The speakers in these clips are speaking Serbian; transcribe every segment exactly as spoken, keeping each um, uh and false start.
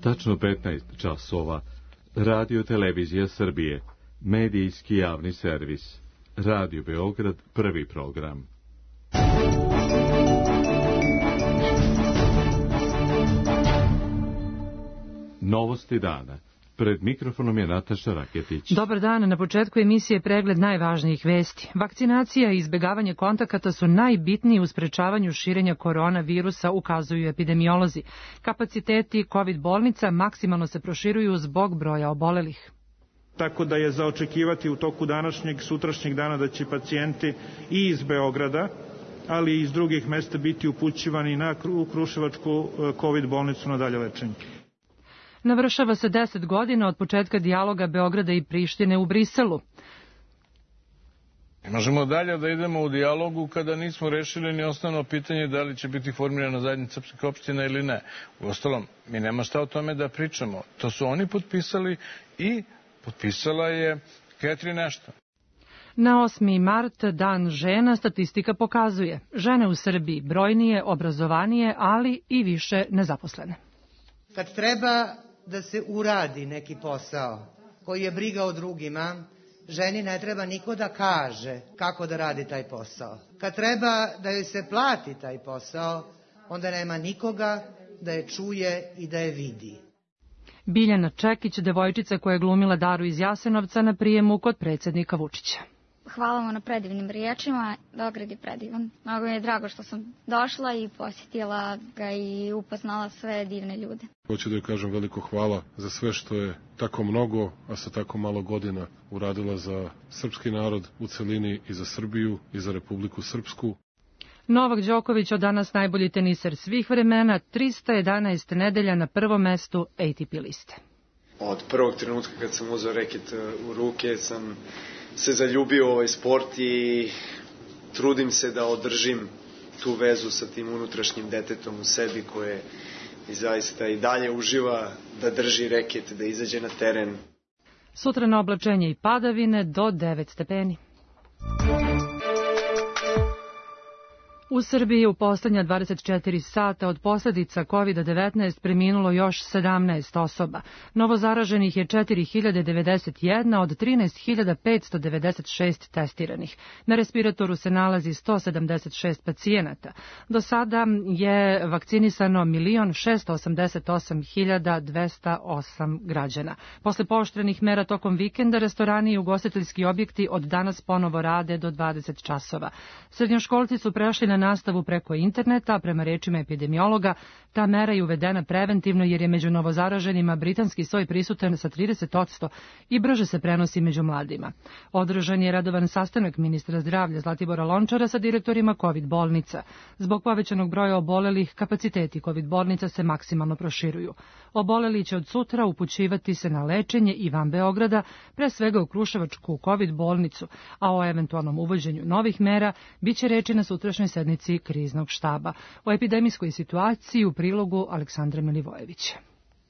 Tačno petnaest časova. Radio Televizija Srbije. Medijski javni servis. Radio Beograd, prvi program. Novosti dana. Pred mikrofonom je Nataša Raketić. Dobar dan, na početku emisije pregled najvažnijih vesti. Vakcinacija i izbjegavanje kontakata su najbitniji u sprečavanju širenja koronavirusa, ukazuju epidemiolozi. Kapaciteti COVID bolnica maksimalno se proširuju zbog broja obolelih. Tako da je za očekivati u toku današnjeg, sutrašnjeg dana da će pacijenti i iz Beograda, ali i iz drugih mesta biti upućivani na Kruševačku COVID bolnicu na dalje lečenje. Navršava se deset godina od početka dijaloga Beograda i Prištine u Briselu. Ne možemo dalje da idemo u dijalogu kada nismo rešili ni osnovno pitanje da li će biti formirana zajednica srpskih opština ili ne. Uostalom, mi nema šta o tome da pričamo. To su oni potpisali i potpisala je Catherine Ashton. Na osmi mart, dan žena, statistika pokazuje. Žene u Srbiji brojnije, obrazovanije, ali i više nezaposlene. Kad treba da se uradi neki posao koji je briga o drugima, ženi ne treba niko da kaže kako da radi taj posao. Kad treba da joj se plati taj posao, onda nema nikoga da je čuje i da je vidi. Biljana Čekić, devojčica koja je glumila Daru iz Jasenovca na prijemu kod predsjednika Vučića. Hvala vam na predivnim riječima, Beograd je predivan. Mnogo mi je drago što sam došla i posjetila ga i upoznala sve divne ljude. Hoću da joj kažem veliko hvala za sve što je tako mnogo, a sa tako malo godina uradila za srpski narod u celini i za Srbiju i za Republiku Srpsku. Novak Đoković, od danas najbolji teniser svih vremena, trista jedanaest nedelja na prvom mestu A T P liste. Od prvog trenutka kad sam uzeo reket u ruke sam se zaljubio u ovaj sport i trudim se da održim tu vezu sa tim unutrašnjim detetom u sebi koje i zaista i dalje uživa da drži reket, da izađe na teren. Sutra na oblačenje i padavine do devet stepeni. U Srbiji je u poslednja dvadeset četiri sata od posljedica kovid devetnaest preminulo još sedamnaest osoba. Novozaraženih je četiri hiljade devedeset jedna od trinaest hiljada petsto devedeset šest testiranih. Na respiratoru se nalazi sto sedamdeset šest pacijenata. Do sada je vakcinisano milion šesto osamdeset osam hiljada dvesta osam građana. Posle pooštrenih mera tokom vikenda, restorani i ugostiteljski objekti od danas ponovo rade do dvadeset časova. Srednjoškolci su prešli na nastavu preko interneta, a prema rečima epidemiologa, ta mera je uvedena preventivno jer je među novozaraženima britanski soj prisutan sa trideset posto i brže se prenosi među mladima. Održan je redovan sastanak ministra zdravlja Zlatibora Lončara sa direktorima COVID bolnica. Zbog povećanog broja obolelih, kapaciteti COVID bolnica se maksimalno proširuju. Oboleli će od sutra upućivati se na lečenje i van Beograda, pre svega u Kruševačku COVID bolnicu, a o eventualnom uvođenju novih mera biće reči na sutrašnjoj sednici kriznog štaba. O epidemijskoj situaciji u prilogu Aleksandra Milivojevića.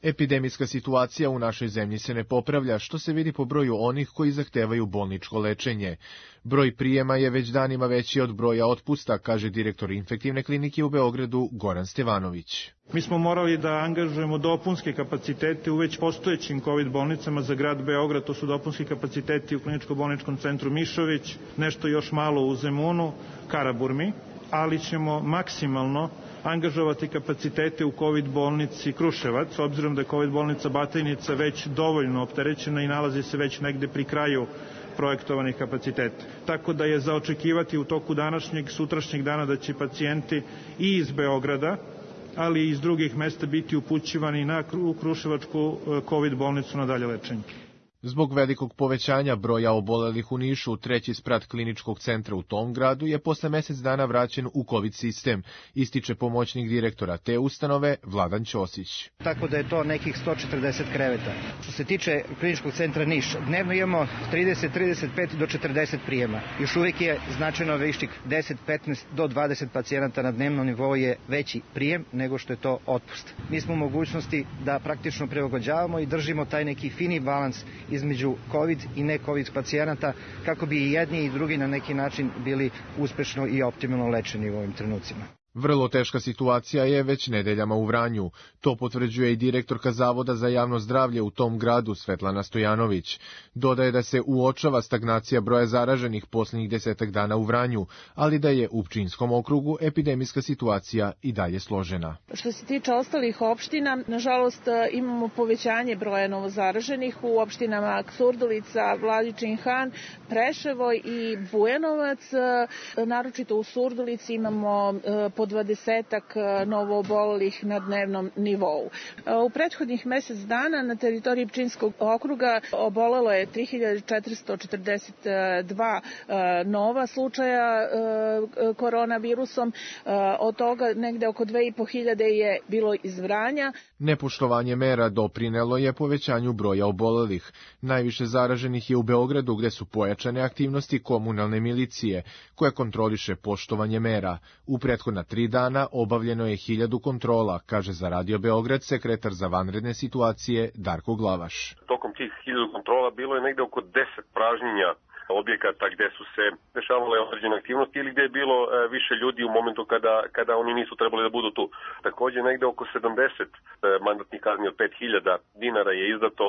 Epidemijska situacija u našoj zemlji se ne popravlja, što se vidi po broju onih koji zahtevaju bolničko lečenje. Broj prijema je već danima veći od broja otpusta, kaže direktor infektivne klinike u Beogradu Goran Stevanović. Mi smo morali da angažujemo dopunske kapacitete u već postojećim COVID bolnicama za grad Beograd. To su dopunski kapaciteti u kliničko-bolničkom centru Mišović, nešto još malo u Zemunu, Karaburmi, ali ćemo maksimalno angažovati kapacitete u COVID bolnici Kruševac, s obzirom da je COVID bolnica Batajnica već dovoljno opterećena i nalazi se već negde pri kraju projektovanih kapaciteta. Tako da je za očekivati u toku današnjeg, sutrašnjeg dana da će pacijenti i iz Beograda, ali i iz drugih mesta biti upućivani na Kruševačku COVID bolnicu na dalje lečenje. Zbog velikog povećanja broja obolelih u Nišu, treći sprat kliničkog centra u tom gradu je posle mesec dana vraćen u COVID sistem, ističe pomoćnik direktora te ustanove Vladan Ćosić. Tako da je to nekih sto četrdeset kreveta. Što se tiče kliničkog centra Niš, dnevno imamo trideset, trideset pet do četrdeset prijema. Još uvijek je značajno vištik deset, petnaest do dvadeset pacijenata na dnevnom nivou je veći prijem nego što je to otpust. Mi smo u mogućnosti da praktično prilagođavamo i držimo taj neki fini balans između COVID i ne COVID pacijenata kako bi i jedni i drugi na neki način bili uspešno i optimalno lečeni u ovim trenucima. Vrlo teška situacija je već nedeljama u Vranju. To potvrđuje i direktorka Zavoda za javno zdravlje u tom gradu Svetlana Stojanović. Dodaje da se uočava stagnacija broja zaraženih posljednjih desetak dana u Vranju, ali da je u Pčinjskom okrugu epidemijska situacija i dalje složena. Što se tiče ostalih opština, nažalost imamo povećanje broja novozaraženih u opštinama Surdulica, Vladičin Han, Preševo i Bujanovac. Naročito u Surdulici imamo po dvadesetak novoobolelih na dnevnom nivou. U prethodnih mesec dana na teritoriji Pčinjskog okruga obolelo je tri hiljade četiristo četrdeset dva nova slučaja koronavirusom, od toga negde oko dve i po hiljade je bilo iz Vranja. Nepoštovanje mera doprinelo je povećanju broja obolelih. Najviše zaraženih je u Beogradu, gde su pojačane aktivnosti komunalne milicije, koja kontroliše poštovanje mera. U prethodna tri dana obavljeno je hiljadu kontrola, kaže za Radio Beograd sekretar za vanredne situacije Darko Glavaš. Tokom tih hiljadu kontrola bilo je negde oko deset pražnjenja objekata gde su se dešavale određene aktivnosti ili gde je bilo e, više ljudi u momentu kada, kada oni nisu trebali da budu tu. Takođe, negde oko sedamdeset e, mandatnih kazni od pet hiljada dinara je izdato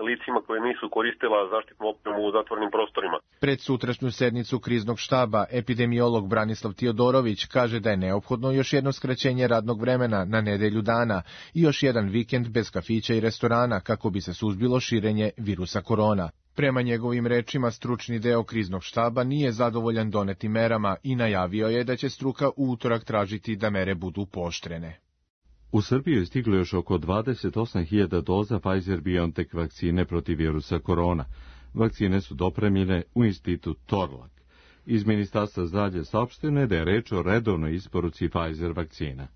licima koje nisu koristila zaštitnu opremu u zatvorenim prostorima. Pred sutrašnju sednicu kriznog štaba epidemiolog Branislav Tiodorović kaže da je neophodno još jedno skraćenje radnog vremena na nedelju dana i još jedan vikend bez kafića i restorana kako bi se suzbilo širenje virusa korona. Prema njegovim rečima, stručni deo kriznog štaba nije zadovoljan donetim merama i najavio je da će struka u utorak tražiti da mere budu pooštrene. U Srbiju je stiglo još oko dvadeset osam hiljada doza Pfizer-BioNTech vakcine protiv virusa korona. Vakcine su dopremljene u institut Torlak. Iz Ministarstva zdravlja saopšteno je da je reč o redovnoj isporuci Pfizer vakcina.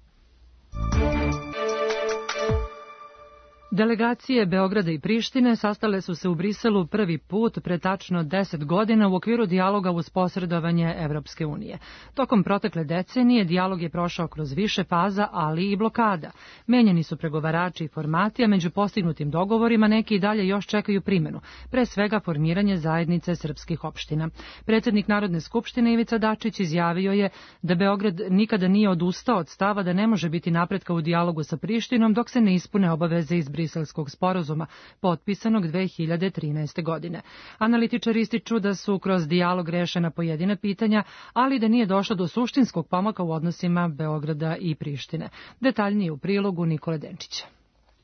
Delegacije Beograda i Prištine sastale su se u Briselu prvi put pre tačno deset godina u okviru dijaloga uz posredovanje Evropske unije. Tokom protekle decenije dijalog je prošao kroz više faza, ali i blokada. Menjani su pregovarači i formati, a među postignutim dogovorima neki i dalje još čekaju primjenu, pre svega formiranje zajednice srpskih opština. Predsjednik Narodne skupštine Ivica Dačić izjavio je da Beograd nikada nije odustao od stava da ne može biti napretka u dijalogu sa Prištinom dok se ne ispune obaveze iz Briselskog sporazuma, potpisanog dve hiljade trinaeste. godine. Analitičari ističu da su kroz dijalog rešena pojedina pitanja, ali da nije došlo do suštinskog pomaka u odnosima Beograda i Prištine. Detaljnije u prilogu Nikole Denčića.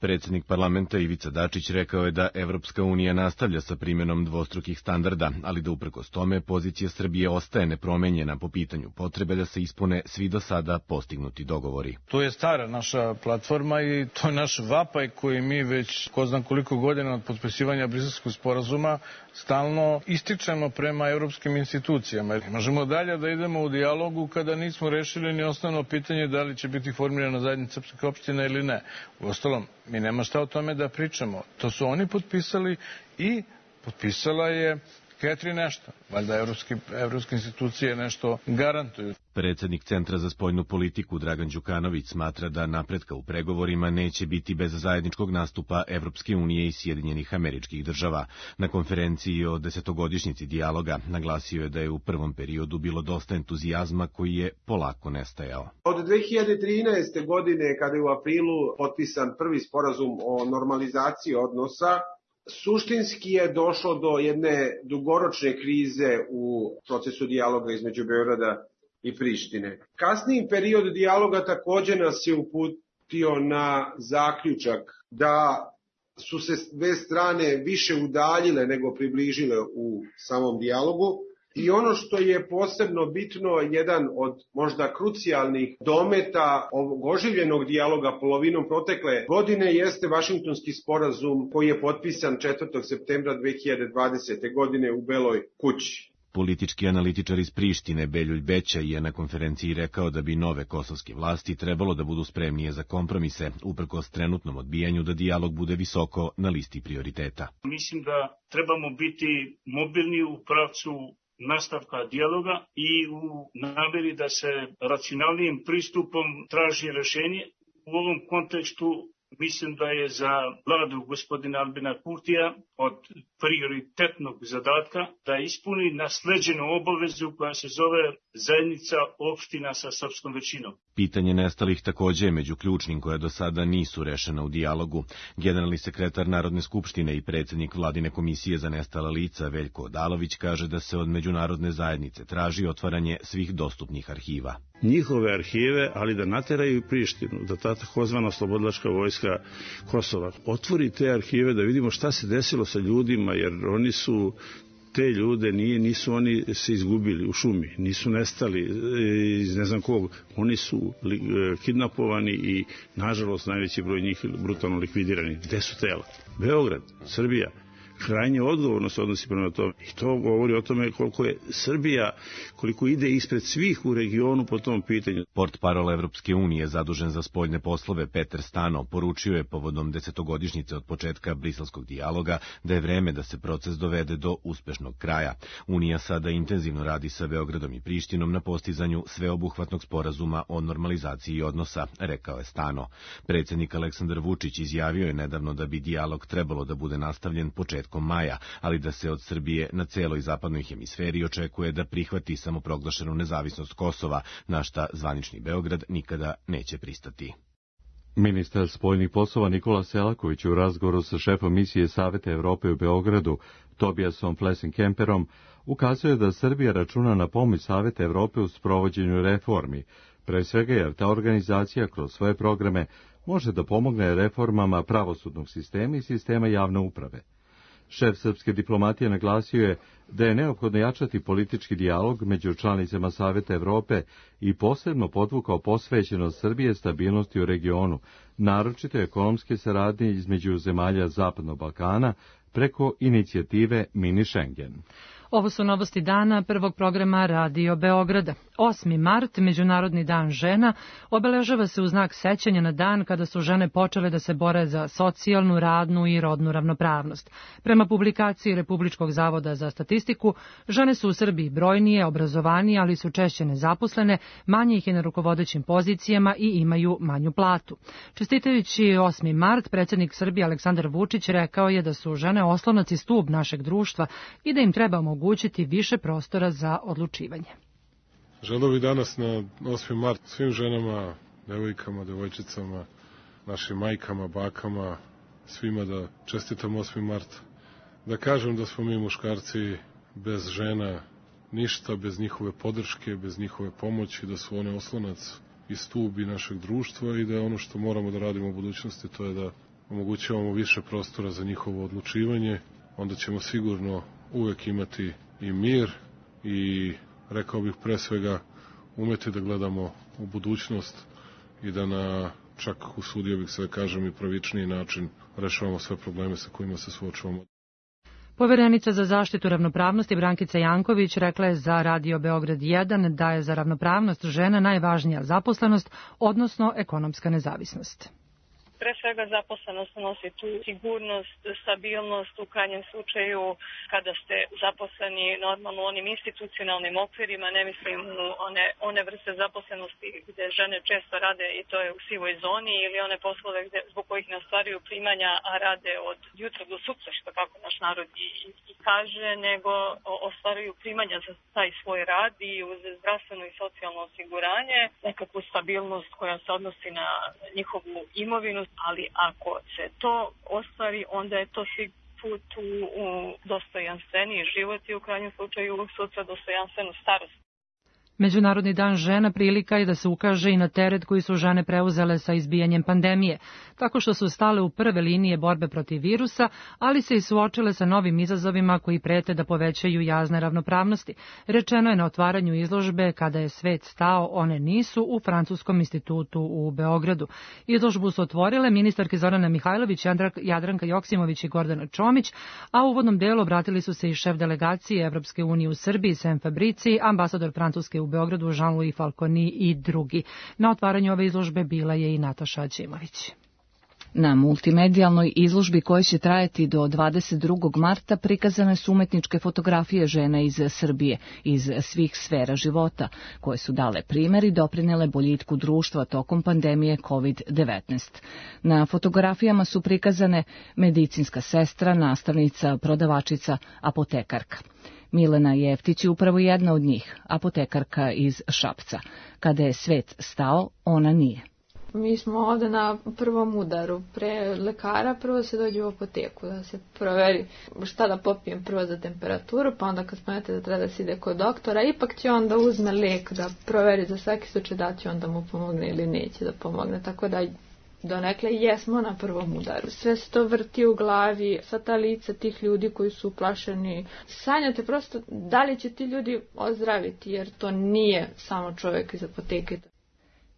Predsjednik parlamenta Ivica Dačić rekao je da Evropska unija nastavlja sa primjenom dvostrukih standarda, ali da uprkos tome pozicija Srbije ostaje nepromenjena po pitanju potrebe da se ispune svi do sada postignuti dogovori. To je stara naša platforma i to je naš vapaj koji mi već ko znam koliko godina od potpisivanja Briselskog sporazuma stalno ističemo prema evropskim institucijama. Možemo dalje da idemo u dijalogu kada nismo rešili ni osnovno pitanje da li će biti formirana zajednica srpskih opština ili ne. Uostalom, mi nema šta o tome da pričamo. To su oni potpisali i potpisala je Catherine Ashton. Valjda evropske, evropske institucije nešto garantuju. Predsjednik Centra za spoljnu politiku Dragan Đukanović smatra da napretka u pregovorima neće biti bez zajedničkog nastupa Evropske unije i Sjedinjenih Američkih Država. Na konferenciji o desetogodišnjici dijaloga naglasio je da je u prvom periodu bilo dosta entuzijazma koji je polako nestajao. Od dve hiljade trinaeste. godine, kada je u aprilu potpisan prvi sporazum o normalizaciji odnosa, suštinski je došlo do jedne dugoročne krize u procesu dijaloga između Beograda i Prištine. Kasniji period dijaloga takođe nas je uputio na zaključak da su se dve strane više udaljile nego približile u samom dijalogu. I ono što je posebno bitno, jedan od možda krucijalnih dometa ovog oživljenog dijaloga polovinom protekle godine jeste Vašingtonski sporazum koji je potpisan četvrtog septembra dve hiljade dvadesete. godine u Beloj kući. Politički analitičar iz Prištine Beljulj Beća je na konferenciji rekao da bi nove kosovske vlasti trebalo da budu spremnije za kompromise, uprkos trenutnom odbijanju da dijalog bude visoko na listi prioriteta. Mislim da trebamo biti mobilni u pravcu nastavka dijaloga i u nameri da se racionalnijim pristupom traži rešenje. U ovom kontekstu mislim da je za vladu gospodina Albina Kurtija od prioritetnog zadatka da ispuni nasleđenu obavezu koja se zove zajednica opština sa srpskom većinom. Pitanje nestalih takođe je među ključnim koja do sada nisu rešena u dijalogu. Generalni sekretar Narodne skupštine i predsjednik Vladine komisije za nestala lica Veljko Odalović kaže da se od međunarodne zajednice traži otvaranje svih dostupnih arhiva. Njihove arhive, ali da nateraju i Prištinu, da ta takozvana oslobodilačka vojska Kosova otvori te arhive, da vidimo šta se desilo sa ljudima, jer oni su te ljude, nije, nisu oni se izgubili u šumi, nisu nestali iz ne znam kog, oni su li, kidnapovani i nažalost najveći broj njih brutalno likvidirani. Gde su tela? Beograd, Srbija. Krajnje odgovorno se odnosi prema tome. I to govori o tome koliko je Srbija, koliko ide ispred svih u regionu po tom pitanju. Portparol Evropske unije zadužen za spoljne poslove Peter Stano poručio je povodom desetogodišnjice od početka briselskog dijaloga da je vreme da se proces dovede do uspešnog kraja. Unija sada intenzivno radi sa Beogradom i Prištinom na postizanju sveobuhvatnog sporazuma o normalizaciji odnosa, rekao je Stano. Predsjednik Aleksandar Vučić izjavio je nedavno da bi dijalog trebalo da bude nastavljen početkom maja, ali da se od Srbije na celoj zapadnoj hemisferi očekuje da prihvati samoproglašenu nezavisnost Kosova, na šta zvanični Beograd nikada neće pristati. Ministar spoljnih poslova Nikola Selaković u razgovoru sa šefom misije Saveta Evrope u Beogradu, Tobiasom Flesenkemperom, ukazuje da Srbija računa na pomoć Saveta Evrope u sprovođenju reformi, pre svega jer ta organizacija kroz svoje programe može da pomogne reformama pravosudnog sistema i sistema javne uprave. Šef srpske diplomatije naglasio je da je neophodno jačati politički dijalog među članicama Saveta Evrope i posebno podvukao posvećenost Srbije stabilnosti u regionu, naročito ekonomske saradnje između zemalja Zapadnog Balkana preko inicijative Mini Schengen. Ovo su novosti dana prvog programa Radio Beograda. osmi mart, Međunarodni dan žena, obeležava se u znak sećanja na dan kada su žene počele da se bore za socijalnu, radnu i rodnu ravnopravnost. Prema publikaciji Republičkog zavoda za statistiku, žene su u Srbiji brojnije, obrazovanije, ali su češće nezaposlene, manje ih je na rukovodećim pozicijama i imaju manju platu. Čestitajući osmi mart, predsjednik Srbije Aleksandar Vučić rekao je da su žene oslonac i stub našeg društva i da im treba omogućiti više prostora za odlučivanje. Želeo bih danas na osmi mart svim ženama, devojkama, devojčicama, našim majkama, bakama, svima da čestitam osmi mart. Da kažem da smo mi muškarci bez žena ništa, bez njihove podrške, bez njihove pomoći, da su one oslonac i stub i našeg društva i da je ono što moramo da radimo u budućnosti, to je da omogućavamo više prostora za njihovo odlučivanje. Onda ćemo sigurno uvek imati i mir i, rekao bih pre svega, umeti da gledamo u budućnost i da na, čak usudio bih se da kažem, i pravičniji način rešavamo sve probleme sa kojima se suočavamo. Poverenica za zaštitu ravnopravnosti Brankica Janković rekla je za Radio Beograd jedan da je za ravnopravnost žena najvažnija zaposlenost, odnosno ekonomska nezavisnost. Pre svega zaposlenost nosi tu sigurnost, stabilnost u krajnjem slučaju kada ste zaposleni normalno u onim institucionalnim okvirima, ne mislim u one, one vrste zaposlenosti gde žene često rade i to je u sivoj zoni ili one poslove gde, zbog kojih ne ostvaruju primanja, a rade od jutra do sutra, što kako naš narod i, i kaže, nego ostvaruju primanja za taj svoj rad i uz zdravstveno i socijalno osiguranje, nekakvu stabilnost koja se odnosi na njihovu imovinu. Ali ako se to ostvari, onda je to svi put u, u dostojanstveniji život i u krajnjem slučaju sutra dostojanstvenu starost. Međunarodni dan žena prilika je da se ukaže i na teret koji su žene preuzele sa izbijanjem pandemije, tako što su stale u prve linije borbe protiv virusa, ali se i suočile sa novim izazovima koji prete da povećaju jaz neravnopravnosti. Rečeno je na otvaranju izložbe Kada je svet stao, one nisu u Francuskom institutu u Beogradu. Izložbu su otvorile ministarke Zorana Mihajlović, Jadranka Joksimović i Gordana Čomić, a u uvodnom delu obratili su se i šef delegacije Evropske unije u Srbiji, Sem Fabrici, ambasador Francuske u Beogradu Jean-Louis Falconi i drugi. Na otvaranju ove izložbe bila je i Nataša Ćimović. Na multimedijalnoj izložbi koja će trajati do dvadeset drugog marta prikazane su umetničke fotografije žena iz Srbije, iz svih sfera života, koje su dale primer i doprinele boljitku društva tokom pandemije kovid devetnaest. Na fotografijama su prikazane medicinska sestra, nastavnica, prodavačica, apotekarka. Milena Jeftić je upravo jedna od njih, apotekarka iz Šapca. Kada je svet stao, ona nije. Mi smo ovde na prvom udaru. Pre lekara prvo se dođe u apoteku da se proveri šta da popijem prvo za temperaturu, pa onda kad spomenete da treba da se ide kod doktora, ipak će onda uzme lek da proveri za svaki slučaj da će onda mu pomogne ili neće da pomogne. Tako da donekle jesmo na prvom udaru. Sve se to vrti u glavi, sva ta lica tih ljudi koji su uplašeni. Sanjate prosto da li će ti ljudi ozdraviti, jer to nije samo čovjek iz apoteke.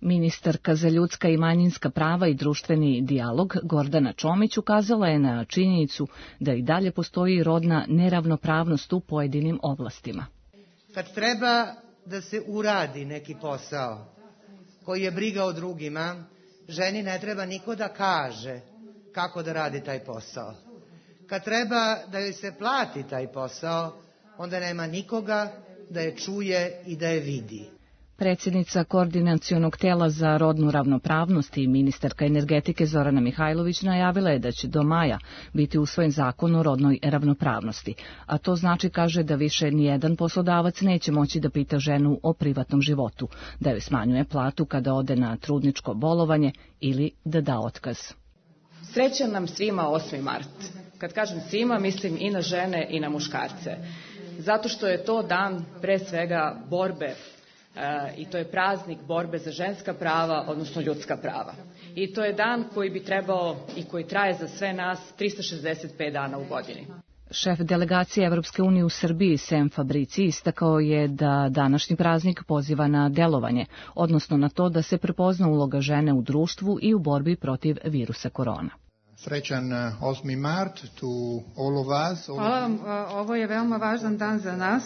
Ministarka za ljudska i manjinska prava i društveni dijalog Gordana Čomić ukazala je na činjenicu da i dalje postoji rodna neravnopravnost u pojedinim oblastima. Kad treba da se uradi neki posao koji je briga o drugima, ženi ne treba niko da kaže kako da radi taj posao. Kad treba da joj se plati taj posao, onda nema nikoga da je čuje i da je vidi. Predsjednica Koordinacionog tela za rodnu ravnopravnost i ministarka energetike Zorana Mihajlović najavila je da će do maja biti usvojen zakon o rodnoj ravnopravnosti, a to znači, kaže, da više nijedan poslodavac neće moći da pita ženu o privatnom životu, da joj smanjuje platu kada ode na trudničko bolovanje ili da da otkaz. Srećan nam svima osmi mart. Kad kažem svima, mislim i na žene i na muškarce. Zato što je to dan pre svega borbe i to je praznik borbe za ženska prava, odnosno ljudska prava. I to je dan koji bi trebao i koji traje za sve nas trista šezdeset pet dana u godini. Šef delegacije Evropske unije u Srbiji, Sem Fabrici, istakao je da današnji praznik poziva na delovanje, odnosno na to da se prepozna uloga žene u društvu i u borbi protiv virusa korona. Srećan osmi mart to all of us. Hvala vam, ovo je veoma važan dan za nas.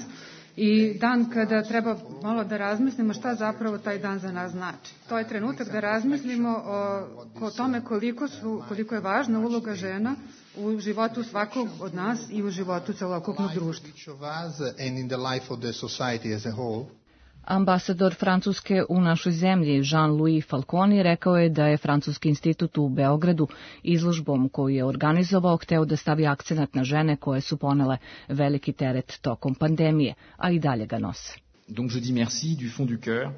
I dan kada treba malo da razmislimo šta zapravo taj dan za nas znači. To je trenutak da razmislimo o, o tome koliko, su, koliko je važna uloga žena u životu svakog od nas i u životu celokupnog društva. Ambasador Francuske u našoj zemlji Jean-Louis Falconi rekao je da je Francuski institut u Beogradu izložbom koju je organizovao hteo da stavi akcenat na žene koje su ponele veliki teret tokom pandemije, a i dalje ga nose. Donc je dis merci du fond du cœur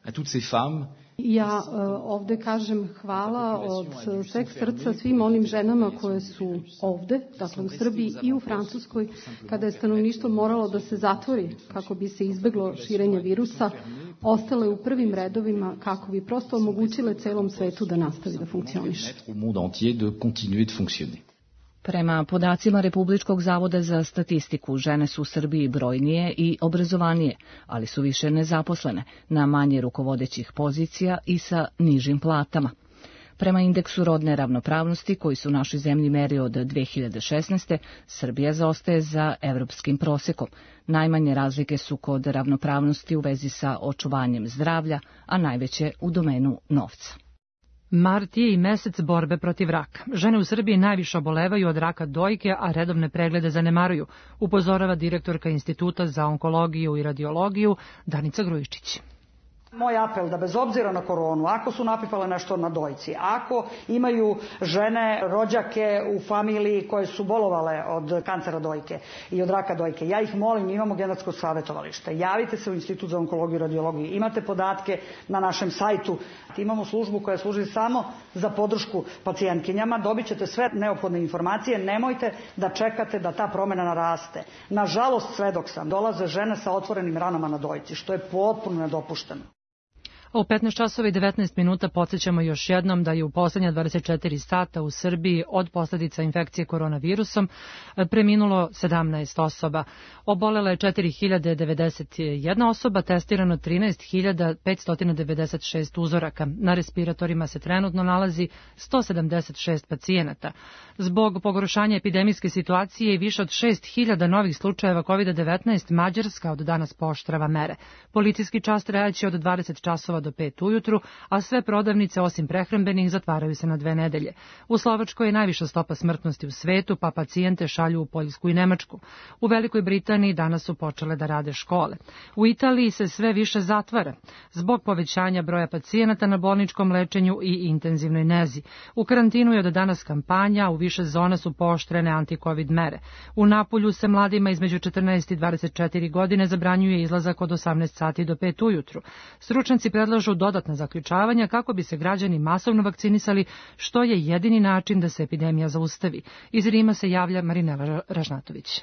à toutes ces femmes. Ja uh, ovde kažem hvala od sveg srca svim onim ženama koje su ovde, dakle u Srbiji i u Francuskoj, kada je stanovništvo moralo da se zatvori kako bi se izbeglo širenje virusa, ostale u prvim redovima kako bi prosto omogućile celom svetu da nastavi da funkcioniše. Prema podacima Republičkog zavoda za statistiku, žene su u Srbiji brojnije i obrazovanije, ali su više nezaposlene, na manje rukovodećih pozicija i sa nižim platama. Prema indeksu rodne ravnopravnosti, koji su u našoj zemlji meri od dve hiljade šesnaeste. Srbija zaostaje za evropskim prosekom. Najmanje razlike su kod ravnopravnosti u vezi sa očuvanjem zdravlja, a najveće u domenu novca. Mart je i mesec borbe protiv raka. Žene u Srbiji najviše obolevaju od raka dojke, a redovne preglede zanemaruju, upozorava direktorka Instituta za onkologiju i radiologiju Danica Grujičić. Moj apel da bez obzira na koronu, ako su napipale nešto na dojci, ako imaju žene, rođake u familiji koje su bolovale od kancera dojke i od raka dojke, ja ih molim, imamo genetsko savjetovalište, javite se u Institut za onkologiju i radiologiju, imate podatke na našem sajtu, imamo službu koja služi samo za podršku pacijentkinjama, dobit ćete sve neophodne informacije, nemojte da čekate da ta promjena naraste. Nažalost, svedok sam, dolaze žene sa otvorenim ranama na dojci, što je potpuno nedopušteno. U petnaest časova i devetnaest minuta podsjećamo još jednom da je u poslednja dvadeset četiri sata u Srbiji od posljedica infekcije koronavirusom preminulo sedamnaest osoba. Obolela je četiri hiljade devedeset jedna osoba, testirano trinaest hiljada petsto devedeset šest uzoraka. Na respiratorima se trenutno nalazi sto sedamdeset šest pacijenata. Zbog pogoršanja epidemijske situacije i više od šest hiljada novih slučajeva kovid devetnaest, Mađarska od danas pooštrava mere. Policijski čas trajaće od dvadeset časova do pet ujutru, a sve prodavnice osim prehrambenih zatvaraju se na dve nedelje. U Slovačkoj je najviša stopa smrtnosti u svetu, pa pacijente šalju u Poljsku i Nemačku. U Velikoj Britaniji danas su počele da rade škole. U Italiji se sve više zatvara zbog povećanja broja pacijenata na bolničkom lečenju i intenzivnoj nezi. U karantinu je od danas kampanja, u više zona su pooštrene anti-covid mere. U Napulju se mladima između četrnaest i dvadeset četiri godine zabranjuje izlazak od osamnaest sati do pet ujutru. Stručnjaci predlažu dodatna zaključavanja kako bi se građani masovno vakcinisali, što je jedini način da se epidemija zaustavi. Iz Rima se javlja Marinela Ražnatović.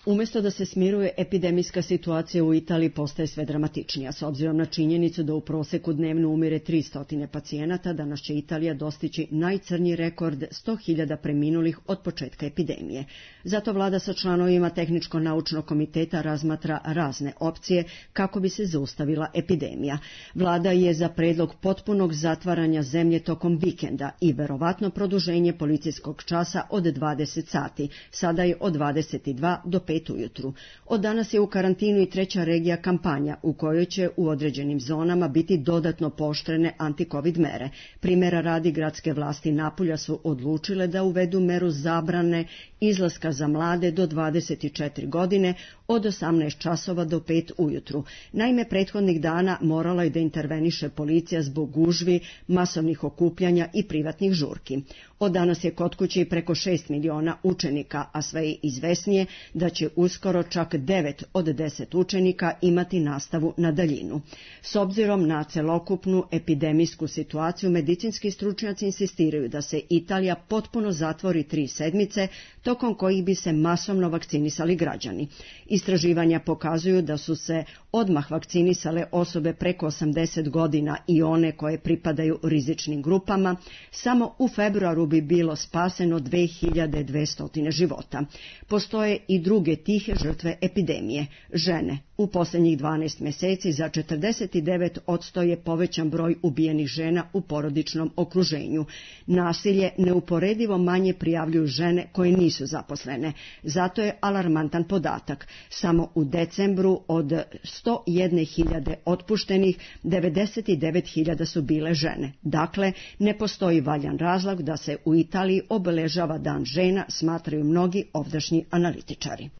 Umjesto da se smiruje, epidemijska situacija u Italiji postaje sve dramatičnija. S obzirom na činjenicu da u proseku dnevno umire tristo pacijenata, danas će Italija dostići najcrnji rekord sto hiljada preminulih od početka epidemije. Zato vlada sa članovima Tehničko-naučnog komiteta razmatra razne opcije kako bi se zaustavila epidemija. Vlada je za predlog potpunog zatvaranja zemlje tokom vikenda i verovatno produženje policijskog časa od dvadeset sati. Sada je od dvadeset dva do pet ujutru. Od danas je u karantinu i treća regija kampanja u kojoj će u određenim zonama biti dodatno pooštrene anti-covid mere. Primjera radi, gradske vlasti Napulja su odlučile da uvedu meru zabrane izlaska za mlade do dvadeset četiri godine od osamnaest časova do pet ujutru. Naime, prethodnih dana morala je da interveniše policija zbog gužvi, masovnih okupljanja i privatnih žurki. Od danas je kod kuće preko šest miliona učenika, a sve je izvesnije da će uskoro čak devet od deset učenika imati nastavu na daljinu. S obzirom na celokupnu epidemijsku situaciju, medicinski stručnjaci insistiraju da se Italija potpuno zatvori tri sedmice, tokom kojih bi se masovno vakcinisali građani. Istraživanja pokazuju da su se odmah vakcinisale osobe preko osamdeset godina i one koje pripadaju rizičnim grupama. Samo u februaru bi bilo spaseno dve hiljade dvesta života. Postoje i druge tihe žrtve epidemije, žene. U posljednjih dvanaest mjeseci za četrdeset devet posto je povećan broj ubijenih žena u porodičnom okruženju. Nasilje neuporedivo manje prijavljuju žene koje nisu zaposlene. Zato je alarmantan podatak. Samo u decembru od sto jedne hiljade otpuštenih, devedeset devet hiljada su bile žene. Dakle, ne postoji valjan razlog da se u Italiji obeležava Dan žena, smatraju mnogi ovdašnji analitičari.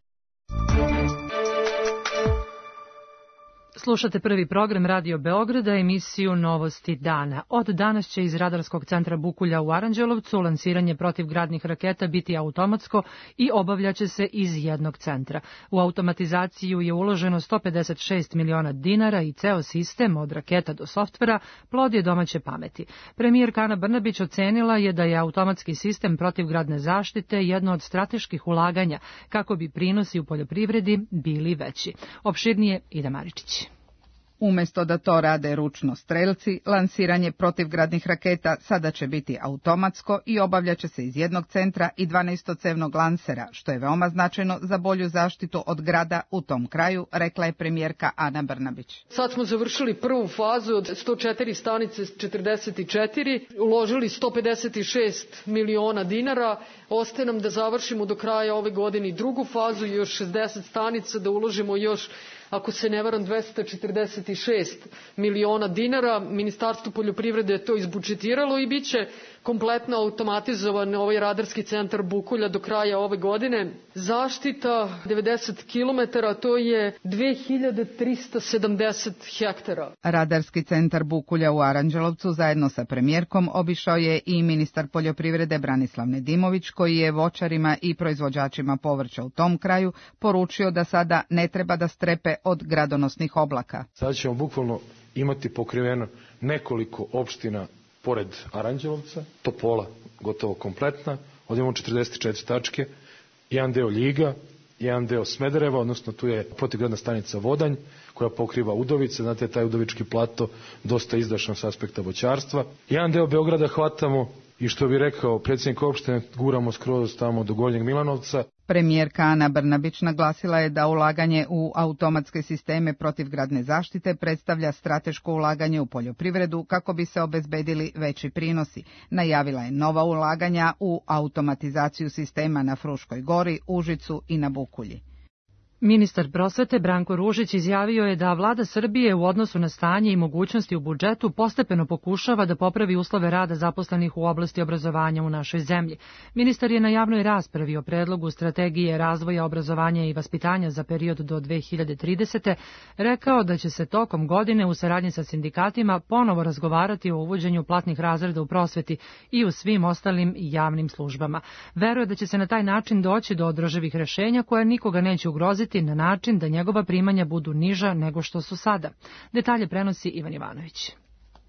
Slušate prvi program Radio Beograda, emisiju Novosti dana. Od danas će iz Radarskog centra Bukulja u Aranđelovcu lansiranje protivgradnih raketa biti automatsko i obavljaće se iz jednog centra. U automatizaciju je uloženo sto pedeset šest miliona dinara i ceo sistem od raketa do softvera plod je domaće pameti. Premijerka Ana Brnabić ocenila je da je automatski sistem protivgradne zaštite jedno od strateških ulaganja kako bi prinosi u poljoprivredi bili veći. Opširnije Ida Maričić. Umesto da to rade ručno strelci, lansiranje protivgradnih raketa sada će biti automatsko i obavljaće se iz jednog centra i dvanaestocevnog lansera, što je veoma značajno za bolju zaštitu od grada u tom kraju, rekla je premijerka Ana Brnabić. Sad smo završili prvu fazu od sto četiri stanice četrdeset četiri, uložili sto pedeset šest miliona dinara, ostaje nam da završimo do kraja ove godine drugu fazu, još šezdeset stanica, da uložimo još, ako se ne varam, dvesta četrdeset šest miliona dinara. Ministarstvo poljoprivrede je to izbudžetiralo i bit će kompletno automatizovan ovaj radarski centar Bukulja do kraja ove godine. Zaštita devedeset kilometara, to je dve hiljade trista sedamdeset hektara. Radarski centar Bukulja u Aranđelovcu zajedno sa premijerkom obišao je i ministar poljoprivrede Branislav Nedimović, koji je voćarima i proizvođačima povrća u tom kraju poručio da sada ne treba da strepe od gradonosnih oblaka. Sada ćemo bukvalno imati pokriveno nekoliko opština pored Aranđelovca, Topola gotovo kompletna, ovdje imamo četrdeset četiri tačke, jedan deo Ljiga, jedan deo Smedereva, odnosno tu je protivgradna stanica Vodanj, koja pokriva Udovice, znate, taj Udovički plato dosta izdašan s aspekta voćarstva. Jedan deo Beograda hvatamo i, što bi rekao predsjednik opštine, guramo skroz tamo do Gornjeg Milanovca. Premijerka Ana Brnabić naglasila je da ulaganje u automatske sisteme protivgradne zaštite predstavlja strateško ulaganje u poljoprivredu kako bi se obezbedili veći prinosi. Najavila je nova ulaganja u automatizaciju sistema na Fruškoj gori, Užicu i na Bukulji. Ministar prosvete Branko Ružić izjavio je da vlada Srbije u odnosu na stanje i mogućnosti u budžetu postepeno pokušava da popravi uslove rada zaposlenih u oblasti obrazovanja u našoj zemlji. Ministar je na javnoj raspravi o predlogu strategije razvoja obrazovanja i vaspitanja za period do dve hiljade tridesete. rekao da će se tokom godine u saradnji sa sindikatima ponovo razgovarati o uvođenju platnih razreda u prosveti i u svim ostalim javnim službama. Veruje da će se na taj način doći do održivih rešenja koja nikoga neće ugroziti na način da njegova primanja budu niža nego što su sada. Detalje prenosi Ivan Ivanović.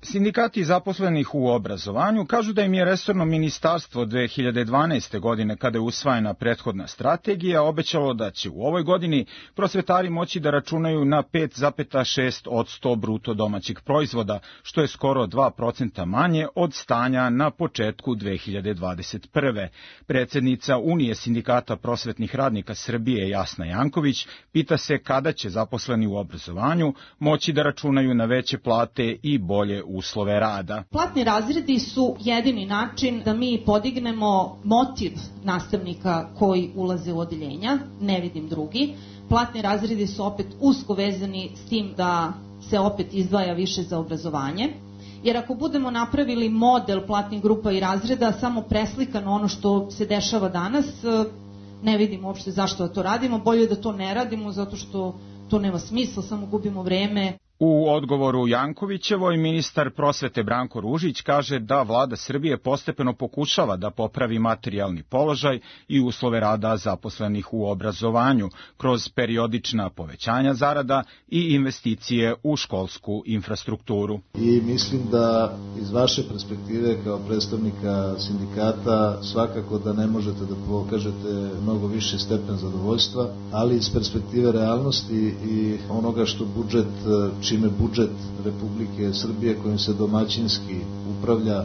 Sindikati zaposlenih u obrazovanju kažu da im je resorno ministarstvo dve hiljade dvanaeste. godine, kada je usvajena prethodna strategija, obećalo da će u ovoj godini prosvetari moći da računaju na pet zarez šest posto bruto domaćeg proizvoda, što je skoro dva procenta manje od stanja na početku dve hiljade dvadeset prve. Predsednica Unije sindikata prosvetnih radnika Srbije Jasna Janković pita se kada će zaposleni u obrazovanju moći da računaju na veće plate i bolje uslove rada. Platni razredi su jedini način da mi podignemo motiv nastavnika koji ulaze u odeljenja, ne vidim drugi. Platni razredi su opet usko vezani s tim da se opet izdvaja više za obrazovanje. Jer ako budemo napravili model platnih grupa i razreda samo preslikano ono što se dešava danas, ne vidim uopšte zašto da to radimo. Bolje da to ne radimo zato što to nema smisla, samo gubimo vreme. U odgovoru Jankovićevoj ministar prosvete Branko Ružić kaže da vlada Srbije postepeno pokušava da popravi materijalni položaj i uslove rada zaposlenih u obrazovanju kroz periodična povećanja zarada i investicije u školsku infrastrukturu. I mislim da iz vaše perspektive kao predstavnika sindikata svakako da ne možete da pokažete mnogo više stepen zadovoljstva, ali iz perspektive realnosti i onoga što budžet čime budžet Republike Srbije kojim se domaćinski upravlja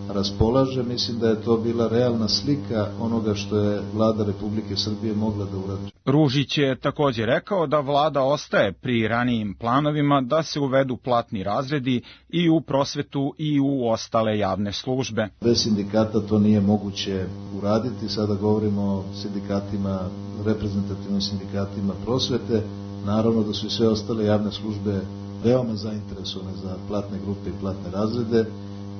raspolaže, mislim da je to bila realna slika onoga što je vlada Republike Srbije mogla da uradi. Ružić je također rekao da vlada ostaje pri ranijim planovima da se uvedu platni razredi i u prosvetu i u ostale javne službe. Bez sindikata to nije moguće uraditi, sada govorimo o sindikatima, reprezentativnim sindikatima prosvete, naravno da su i sve ostale javne službe veoma zainteresovane za platne grupe i platne razrede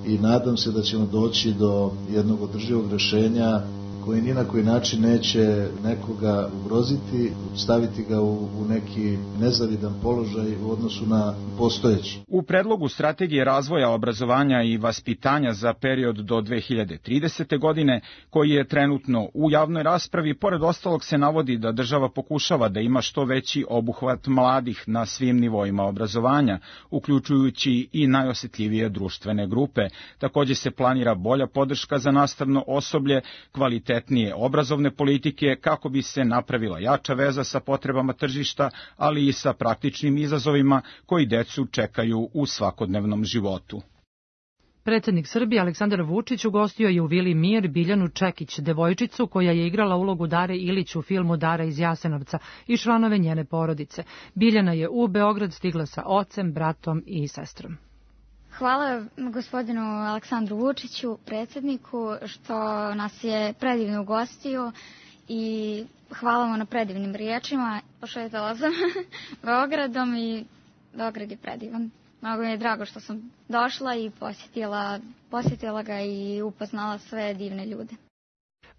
i nadam se da ćemo doći do jednog održivog rešenja koji ni na koji način neće nekoga ugroziti, staviti ga u, u neki nezavidan položaj u odnosu na postojeći. U predlogu strategije razvoja obrazovanja i vaspitanja za period do dve hiljade tridesete. godine, koji je trenutno u javnoj raspravi, pored ostalog se navodi da država pokušava da ima što veći obuhvat mladih na svim nivoima obrazovanja, uključujući i najosetljivije društvene grupe. Također se planira bolja podrška za nastavno osoblje, kvalitet obrazovne politike kako bi se napravila jača veza sa potrebama tržišta, ali i sa praktičnim izazovima koji decu čekaju u svakodnevnom životu. Predsjednik Srbije Aleksandar Vučić ugostio je u Vili Mir Biljanu Čekić, devojčicu koja je igrala ulogu Dare Ilić u filmu Dara iz Jasenovca i članove njene porodice. Biljana je u Beograd stigla sa ocem, bratom i sestrom. Hvala gospodinu Aleksandru Vučiću, predsjedniku, što nas je predivno ugostio i hvala mu na predivnim riječima. Pošetala sam Beogradom i Beograd je predivan. Mnogo mi je drago što sam došla i posjetila, posjetila ga i upoznala sve divne ljude.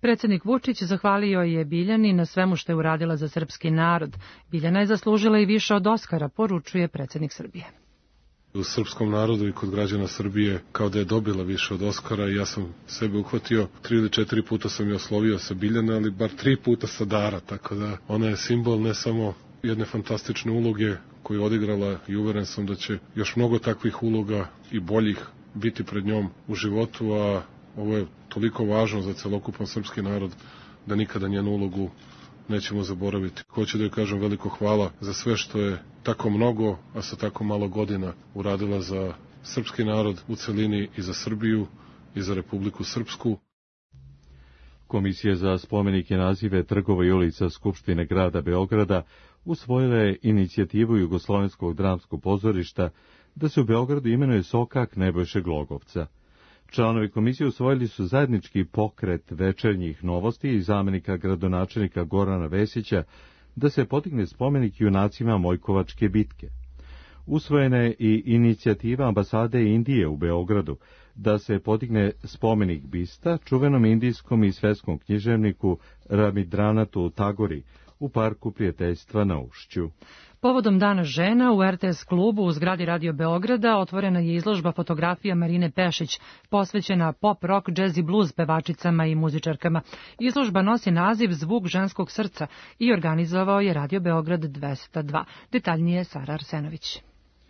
Predsjednik Vučić zahvalio je Biljani na svemu što je uradila za srpski narod. Biljana je zaslužila i više od Oskara, poručuje predsjednik Srbije. U srpskom narodu i kod građana Srbije kao da je dobila više od Oskara i ja sam sebe uhvatio. Tri ili četiri puta sam je oslovio sa Biljana, ali bar tri puta sa Dara, tako da ona je simbol ne samo jedne fantastične uloge koju je odigrala i uveren sam da će još mnogo takvih uloga i boljih biti pred njom u životu, a ovo je toliko važno za celokupan srpski narod da nikada njenu ulogu nećemo zaboraviti. Hoću da joj kažem veliko hvala za sve što je tako mnogo, a sa tako malo godina uradila za srpski narod u celini i za Srbiju i za Republiku Srpsku. Komisija za spomenike, nazive trgova i ulica Skupštine grada Beograda usvojila je inicijativu Jugoslovenskog dramskog pozorišta da se u Beogradu imenuje sokak Nebojše Glogovca. Članovi komisije usvojili su zajednički pokret večernjih novosti i zamenika gradonačelnika Gorana Vesića da se podigne spomenik junacima Mojkovačke bitke. Usvojena je i inicijativa ambasade Indije u Beogradu da se podigne spomenik bista čuvenom indijskom i svetskom književniku Rabindranathu Tagori u Parku prijateljstva na Ušću. Povodom Dana žena u er te es klubu u zgradi Radio Beograda otvorena je izložba fotografija Marine Pešić, posvećena pop, rock, jazz i blues pevačicama i muzičarkama. Izložba nosi naziv Zvuk ženskog srca i organizovao je Radio Beograd dvesta dva. Detaljnije Sara Arsenović.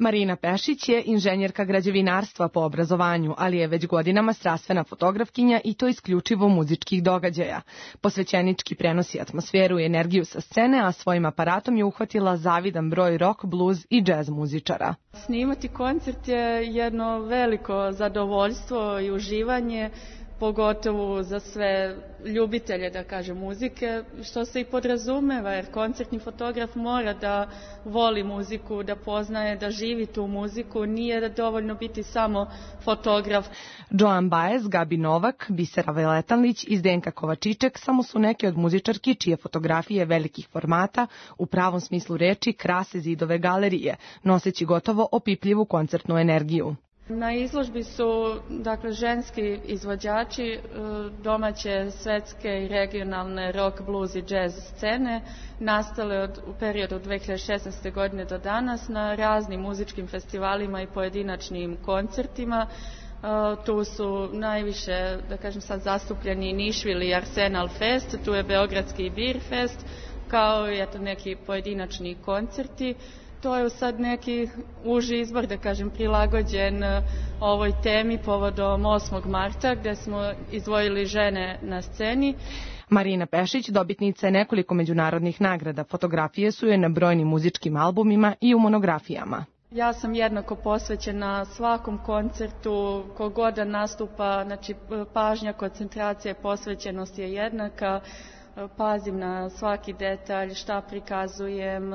Marina Pešić je inženjerka građevinarstva po obrazovanju, ali je već godinama strastvena fotografkinja i to isključivo muzičkih događaja. Posvećenički prenosi atmosferu i energiju sa scene, a svojim aparatom je uhvatila zavidan broj rock, blues i jazz muzičara. Snimati koncert je jedno veliko zadovoljstvo i uživanje, pogotovo za sve ljubitelje, da kažem, muzike, što se i podrazumeva, jer koncertni fotograf mora da voli muziku, da poznaje, da živi tu muziku, nije dovoljno biti samo fotograf. Joan Baez, Gabi Novak, Bisera Veletanlić i Zdenka Kovačiček samo su neke od muzičarki čije fotografije velikih formata u pravom smislu reči krase zidove galerije, noseći gotovo opipljivu koncertnu energiju. Na izložbi su, dakle, ženski izvođači domaće, svetske i regionalne rock, blues i jazz scene nastale od, u periodu od dve hiljade šesnaeste. godine do danas na raznim muzičkim festivalima i pojedinačnim koncertima. Tu su najviše, da kažem sad, zastupljeni Nišvil i Arsenal Fest, tu je Beogradski Beer Fest, kao i eto neki pojedinačni koncerti. To je sad neki uži izbor, da kažem, prilagođen ovoj temi povodom osmog marta, gde smo izdvojili žene na sceni. Marina Pešić dobitnica je nekoliko međunarodnih nagrada. Fotografije su je na brojnim muzičkim albumima i u monografijama. Ja sam jednako posvećena svakom koncertu, kogod da nastupa, znači pažnja, koncentracija, posvećenost je jednaka. Pazim na svaki detalj, šta prikazujem,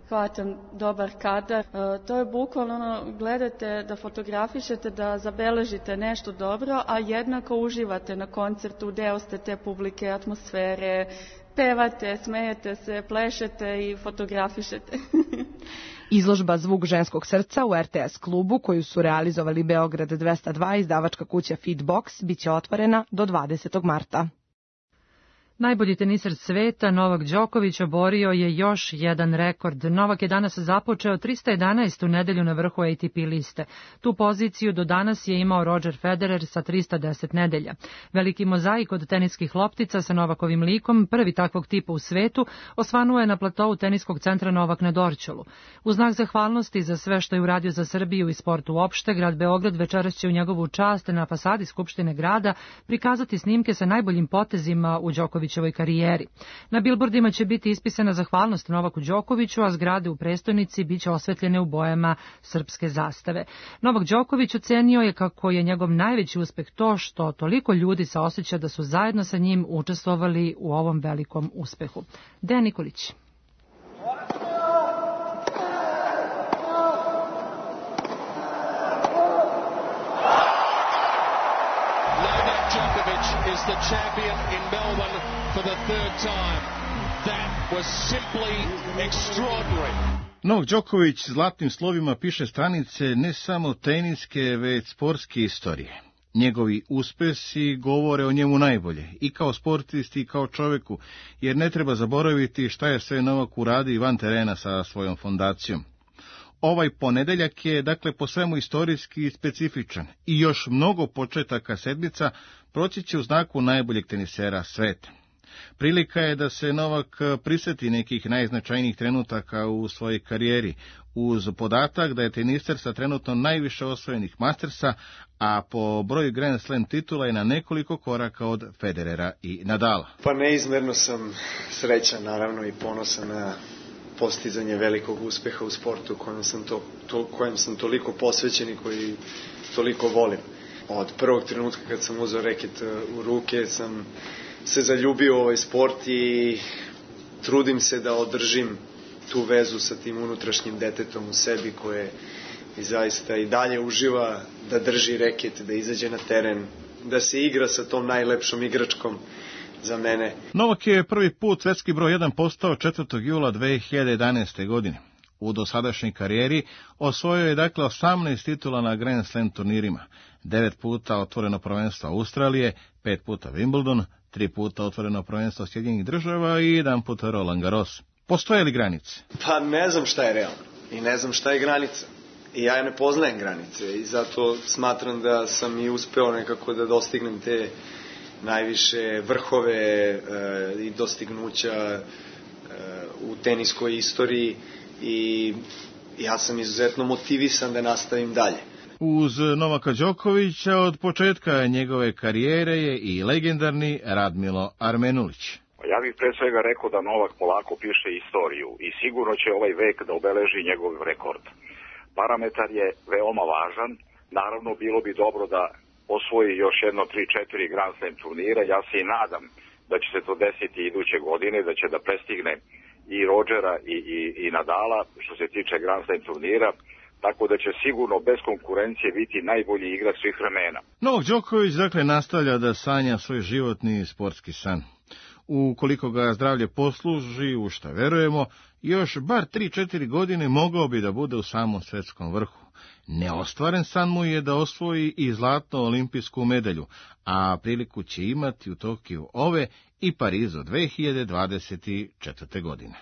hvatam dobar kadar. To je bukvalno ono, gledate da fotografišete, da zabeležite nešto dobro, a jednako uživate na koncertu, deo ste te publike, atmosfere, pevate, smejete se, plešete i fotografišete. Izložba Zvuk ženskog srca u er te es klubu, koju su realizovali Beograd dvesta dva i izdavačka kuća Feedbox, biće otvorena do dvadesetog marta. Najbolji teniser sveta Novak Đoković oborio je još jedan rekord. Novak je danas započeo trista jedanaestu nedelju na vrhu A T P liste. Tu poziciju do danas je imao Roger Federer sa trista deset nedelja. Veliki mozaik od teniskih loptica sa Novakovim likom, prvi takvog tipa u svetu, osvanuo je na platovu teniskog centra Novak na Dorćolu. U znak zahvalnosti za sve što je uradio za Srbiju i sport uopšte, grad Beograd večeras će u njegovu čast na fasadi Skupštine grada prikazati snimke sa najboljim potezima u Đokoviću karijeri. Na bilbordima će biti ispisana zahvalnost Novaku Đokoviću, a zgrade u prestonici biće osvetljene u bojama srpske zastave. Novak Đoković ocenio je kako je njegov najveći uspeh to što toliko ljudi se osjeća da su zajedno sa njim učestvovali u ovom velikom uspehu. Dejan Nikolić. Is the champion in Melbourne for the third time. That was simply extraordinary. Novak Đoković zlatnim slovima piše stranice ne samo teniske, već sportske istorije. Njegovi uspesi govore o njemu najbolje, i kao sportisti i kao čoveku, jer ne treba zaboraviti šta je sve Novak uradio van terena sa svojom fondacijom. Ovaj ponedeljak je, dakle, po svemu istorijski specifičan i još mnogo početaka sedmica proći će u znaku najboljeg tenisera sveta. Prilika je da se Novak priseti nekih najznačajnijih trenutaka u svojoj karijeri, uz podatak da je teniser sa trenutno najviše osvojenih Mastersa, a po broju Grand Slam titula je na nekoliko koraka od Federera i Nadala. Pa neizmerno sam srećan, naravno, i ponosan na postizanje velikog uspeha u sportu kojem sam, to, to, kojem sam toliko posvećen i koji toliko volim. Od prvog trenutka kad sam uzeo reket u ruke sam se zaljubio u ovaj sport i trudim se da održim tu vezu sa tim unutrašnjim detetom u sebi koje i zaista i dalje uživa da drži reket, da izađe na teren, da se igra sa tom najlepšom igračkom za mene. Novak je prvi put svetski broj jedan postao četvrtog jula dve hiljade jedanaeste. godine. U dosadašnjoj karijeri osvojio je dakle osamnaest titula na Grand Slam turnirima, devet puta otvoreno prvenstvo Australije, pet puta Wimbledon, tri puta otvoreno prvenstvo Sjedinjenih Država i jedan puta Roland Garros. Postoje li granice? Pa ne znam šta je realno i ne znam šta je granica. I ja ne poznajem granice i zato smatram da sam i uspeo nekako da dostignem te najviše vrhove e, i dostignuća e, u teniskoj istoriji i ja sam izuzetno motivisan da nastavim dalje. Uz Novaka Đokovića od početka njegove karijere je i legendarni Radmilo Armenulić. Ja bih pre svega rekao da Novak polako piše istoriju i sigurno će ovaj vek da obeleži njegov rekord. Parametar je veoma važan, naravno bilo bi dobro da osvoji još jedno tri četiri Grand Slam turnira, ja se i nadam da će se to desiti iduće godine, da će da prestigne i Rodgera i, i, i Nadala što se tiče Grand Slam turnira, tako da će sigurno bez konkurencije biti najbolji igrač svih vremena. Novak Đoković dakle nastavlja da sanja svoj životni sportski san. Ukoliko ga zdravlje posluži, u šta verujemo, još bar tri četiri godine mogao bi da bude u samom svetskom vrhu. Neostvaren san mu je da osvoji i zlatnu olimpijsku medalju, a priliku će imati u Tokiju ove i Parizu dve hiljade dvadeset četvrte. godine.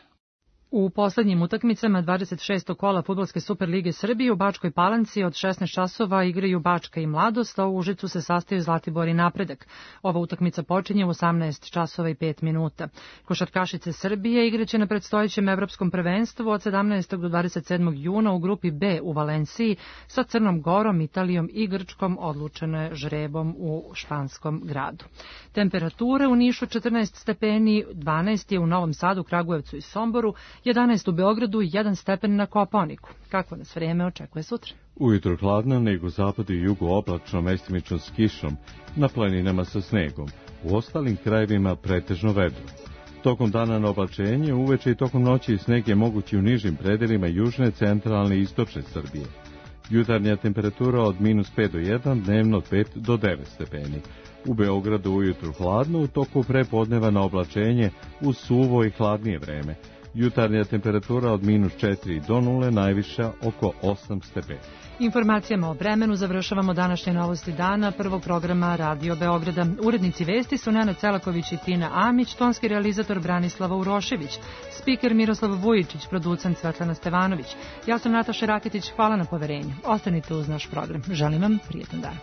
U poslednjim utakmicama dvadeset šestog kola Fudbalske Superlige Srbije u Bačkoj Palanci od šesnaest časova igraju Bačka i Mladost, a u Užicu se sastaju Zlatibor i Napredak. Ova utakmica počinje u osamnaest časova i pet minuta. Košarkašice Srbije igraće na predstojećem evropskom prvenstvu od sedamnaestog do dvadeset sedmog juna u grupi B u Valenciji sa Crnom Gorom, Italijom i Grčkom, odlučeno je žrebom u španskom gradu. Temperature u Nišu četrnaest stepeni, dvanaest je u Novom Sadu, Kragujevcu i Somboru, jedanaest u Beogradu i jedan stepen na Kopaoniku. Kako nas vreme očekuje sutra? Ujutro hladno, nego zapadu i jugu oblačno, mestimično s kišom, na planinama sa snegom. U ostalim krajevima pretežno vedro. Tokom dana na oblačenje, uveče i tokom noći sneg je mogući u nižim predelima južne, centralne i istočne Srbije. Jutarnja temperatura od minus pet do jedan, dnevno od pet do devet stepeni. U Beogradu ujutru hladno, u toku prepodneva na oblačenje uz suvo i hladnije vreme. Jutarnja temperatura od minus četiri do nule, najviša oko osam stepeni. Informacijama o vremenu završavamo današnje novosti dana prvog programa Radio Beograda. Urednici vesti su Nenad Celaković i Tina Amić, tonski realizator Branislava Urošević, spiker Miroslav Vujičić, producent Svetlana Stevanović. Ja sam Nataša Raketić, hvala na poverenju. Ostanite uz naš program. Želim vam prijetan dan.